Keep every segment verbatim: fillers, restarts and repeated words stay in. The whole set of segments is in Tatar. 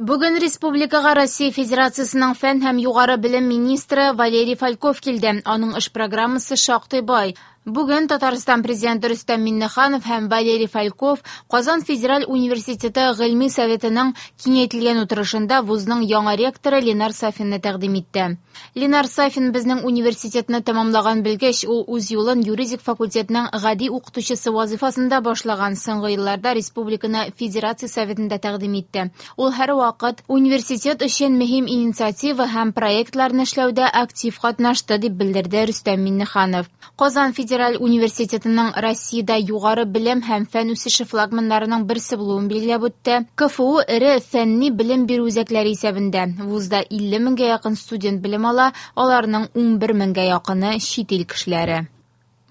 Бүген республикага Россия Федерациясенең фән һәм югары белем министры Валерий Фальков килде. Аның эш программасы шактый бай. Бүген Татарстан президенты Рөстәм Миңнеханов һәм Валерий Фальков Казан федераль университеты Гыйльми советының киңәйтелгән утырышында вузның яңа ректоры Ленар Сафинны тәкъдим итте. Ленар Сафин безнең университетны тәмамлаган белгеч, ул үз юлын юридик факультетның гади укытучысы вазифасында башлаган. Соңгы елларда республиканы Федерация Советында тәкъдим итте. Ул һәрвакыт университет өчен мөһим инициатива һәм проектларны эшләүдә актив катнашты, дип белдерде Рөстәм Миңнеханов. Казан федераль университетының Россиядә югары белем һәм фән үсеше флагманнарының берсе булуын билгеләп үтте. КФУ эре фәнни белем бирү үзәкләре исәбендә. Вузда илле меңгә якын студент белем ала, аларның унбер меңгә якыны чит ил кешеләре.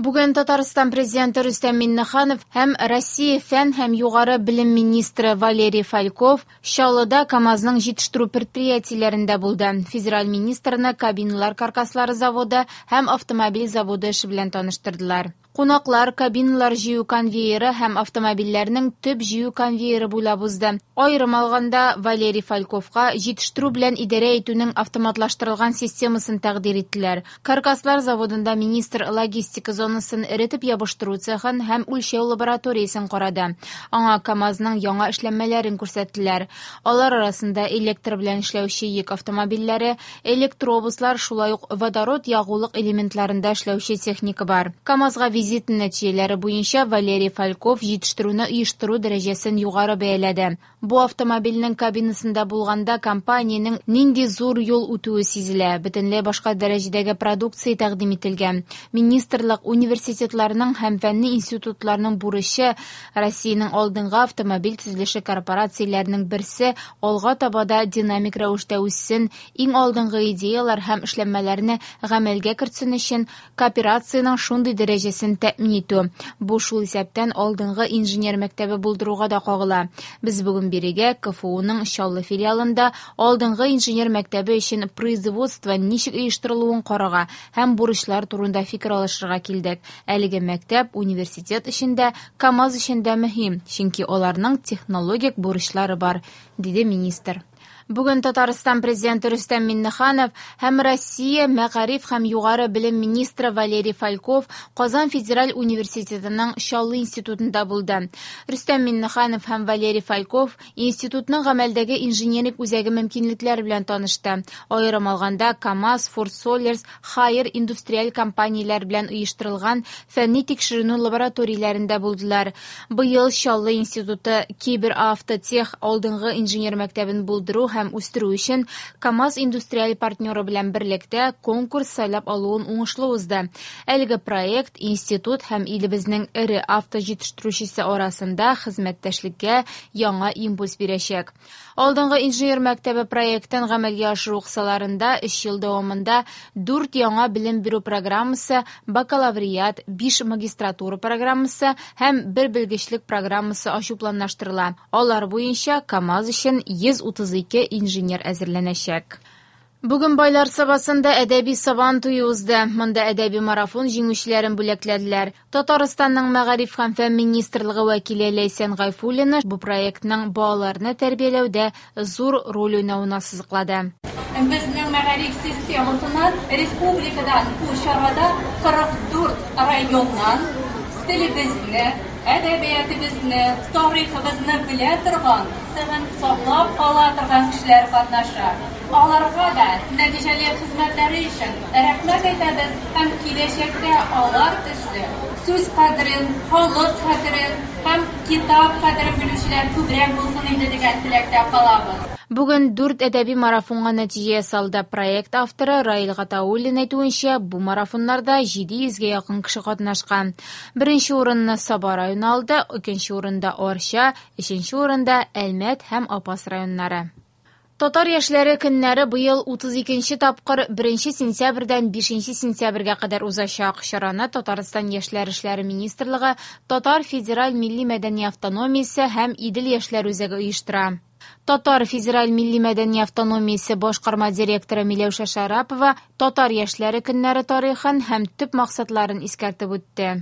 Бүген Татарстан президенты Рөстәм Миңнеханов һәм Россия фән һәм югары белем министры Валерий Фальков Чаллыда КАМАЗның җитештерү предприятиеләрендә булды. Федераль министрны кабиналар каркаслары заводы һәм автомобиль заводы эше белән таныштырдылар. Кунаклар кабиналар җыю конвейеры һәм автомобильләрнең төп җыю конвейеры буйлап узды. Аерым алганда, Валерий Фальковка җитештерү белән идарә итүнең автоматлаштырылган системасын тәкъдир иттеләр. Каркаслар заводында министр логистика зонасын эретеп ябыштыру цехын һәм үлчәү лабораториясен карады. Аңа КАМАЗның яңа эшләнмәләрен күрсәттеләр. Алар арасында электр белән эшләүче йөк автомобильләре, электробуслар, шулай ук водород ягулык элементларында эшләүче техника бар. КАМАЗга визит нәтиҗәләре буенча Валерий Фальков җитештерүне оештыру дәрәҗәсен югары бәяләде. Бу автомобильнең кабинасында булганда компаниянең нинди зур юл үтүе сизелә. Бөтенләй башка дәрәҗәдәге продукция тәкъдим ителгән. Министрлык университетларның һәм фәнни институтларның бурычы Россиянең алдынгы автомобиль төзелеше корпорацияләренең берсе алга таба да динамик рәвештә үссен, иң алдынгы идеялар һәм эшләнмәләрне гамәлгә кертсен өчен кооперациянең шундый дәрәҗәсен тәэмин итү. Бу шул исәптән алдынгы инженер мәктәбе булдыруга да кагыла. Без бүген бирегә КФУның Чаллы филиалында алдынгы инженер мәктәбе өчен производство ничек оештырылуын карарга һәм бурычлар турында фикер алышырга килдек. Әлеге мәктәп университет өчен дә, КАМАЗ өчен дә мөһим, чөнки аларның технологик бурычлары бар, диде министр. Бүген Татарстан президенты Рөстәм Миңнеханов һәм Россия мәгариф һәм югары белем министры Валерий Фальков Казан федераль университетының Чаллы институтында булды. Рөстәм Миңнеханов һәм Валерий Фальков институтның гамәлдәге инженерлек үзәге мөмкинлекләре белән танышты. Аерым алганда, КАМАЗ, Форд Соллерс, Хайер индустриаль компанияләр белән оештырылган фәнни тикшеренү лабораторияләрендә булдылар. Быел Чаллы институты Киберавтотех алдынгы инженер мәктәбен булдыру һәм үстерү өчен КАМАЗ индустриаль партнеры белән берлектә конкурс сайлап алуын уңышлы узды. Әлеге проект институт һәм илебезнең эре авто җитештерүчесе арасында хезмәттәшлеккә яңа импульс бирәчәк. Алдынгы инженер мәктәбе проектын гамәлгә ашыру кысаларында өч ел дәвамында дүрт яңа белем бирү программасы, бакалавриат, биш магистратура программасы һәм бер белгечлек программасы ачу планлаштырыла. Алар буенча КАМАЗ өчен йөз утыз ике инженер әзерләнәчәк. Бүген Байлар Сабасында әдәби сабан туе узды. Монда әдәби марафон җиңүчеләрен бүләкләделәр. Татарстанның мәгариф һәм фән министрлыгы вәкиле Ләйсән Гайфуллина бу проектның балаларны тәрбияләүдә зур роль уйнавын ассызыклады. Безнең мәгариф системасыннан республикадан бу чарада кырык дүрт районнан телебезне, әдәбиятыбызны, тарихыбызны белә торган, сыгын саклап кала торган кешеләр катнаша. Аларга да нәтиҗәле хезмәтләре өчен рәхмәт әйтәбез һәм киләчәктә алар төсле сүз кадерен, халык кадерен һәм китап кадерен белүчеләр күбрәк булсын иде дигән теләктә калабыз. Бүген дүрт әдәби марафонга нәтиҗә ясалды. Проект авторы Раил Гатауллин әйтүенчә, бу марафоннарда җиде йөзгә якын кеше катнашкан. Беренче урынны Саба районы алды, икенче урында Арча, өченче урында Әлмәт һәм Апас районнары. Татар яшьләре көннәре быел утыз икенче тапкыр беренче сентябрьдән бишенче сентябрьгә кадәр узачак. Чараны Татарстан яшьләр эшләре министрлыгы, Татар федераль милли мәдәни автономиясе һәм Идел яшьләр үзәге оештыра. Татар федераль милли мәдәни автономиясе башкарма директоры Миләүшә Шарапова Татар яшьләре көннәре тарихын һәм төп максатларын искәртеп үтте.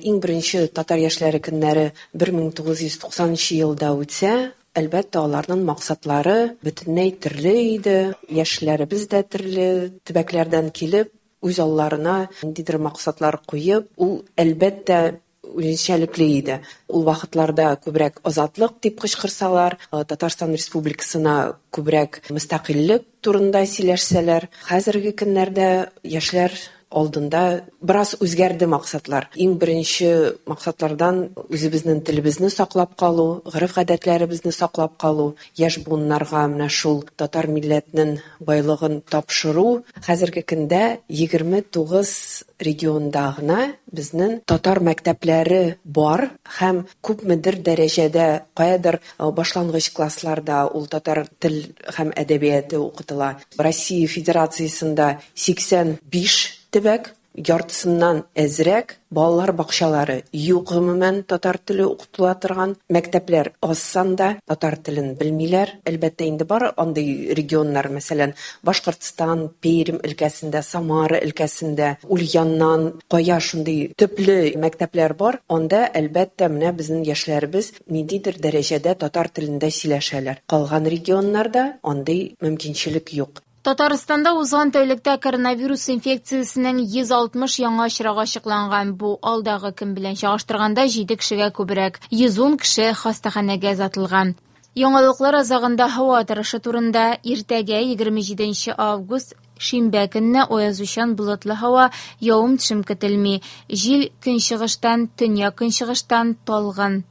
Иң беренче Татар яшьләре көннәре бер мең тугыз йөз туксанынчы елда үтсә, Әлбәттә, аларның максатлары бөтенләй төрле иде. Яшьләребез дә төрле төбәкләрдән килеп, үз алларына ниндидер максатлар куеп, ул әлбәттә үзенчәлекле иде. Ул вакытларда күбрәк азатлык дип кычкырсалар, Татарстан Республикасына күбрәк мөстәкыйльлек турында сөйләшсәләр, хәзерге көннәрдә яшьләр алдында бераз үзгәрде максатлар. Иң беренче максатлардан үзебезнең телебезне саклап калу, гореф-гадәтләребезне саклап калу, яшь буыннарга менә шул татар милләтенең байлыгын тапшыру. Хәзерге көндә егерме тугыз регионда гына безнең татар мәктәпләре бар һәм күпмедер дәрәҗәдә каядыр башлангыч классларда ул татар тел һәм әдәбияты укытыла. Россия Федерациясендә сиксән биш төбәк, яртысыннан әзрәк балалар бакчалары юк, гомумән татар теле укытыла торган мәктәпләр аз санда, татар телен белмиләр. Әлбәттә, инде бар андый регионнар, мәсәлән, Башкортстан, Пермь өлкәсендә, Самара өлкәсендә, Ульяннан кая шундый төпле мәктәпләр бар, анда әлбәттә менә безнең яшьләребез ниндидер дәрәҗәдә татар телендә сөйләшәләр. Калган регионнарда андый мөмкинчелек юк. Татарстанда узган тәүлектә коронавирус инфекциясенең йөз алтмыш яңа очрагы ачыкланган. Бу алдагы көн белән чагыштырганда җиде кешегә күбрәк. Йөз ун кеше хастаханәгә озатылган. Яңалыклар азагында һава торышы турында. Иртәгә егерме җиденче август шимбә көнне аязучан болытлы һава, явым-төшем көтелми. Җил көнчыгыштан, төньяк көнчыгыштан талгын.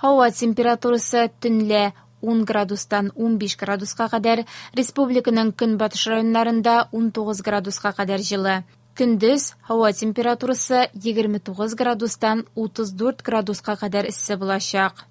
Һава температурасы төнлә ун градустан ун биш градуска кадәр, республиканың көнбатыш районнарында ун тугыз градуска кадәр җылы. Көндез һава температурасы егерме тугыз градустан утыз дүрт градуска кадәр эссе булачак.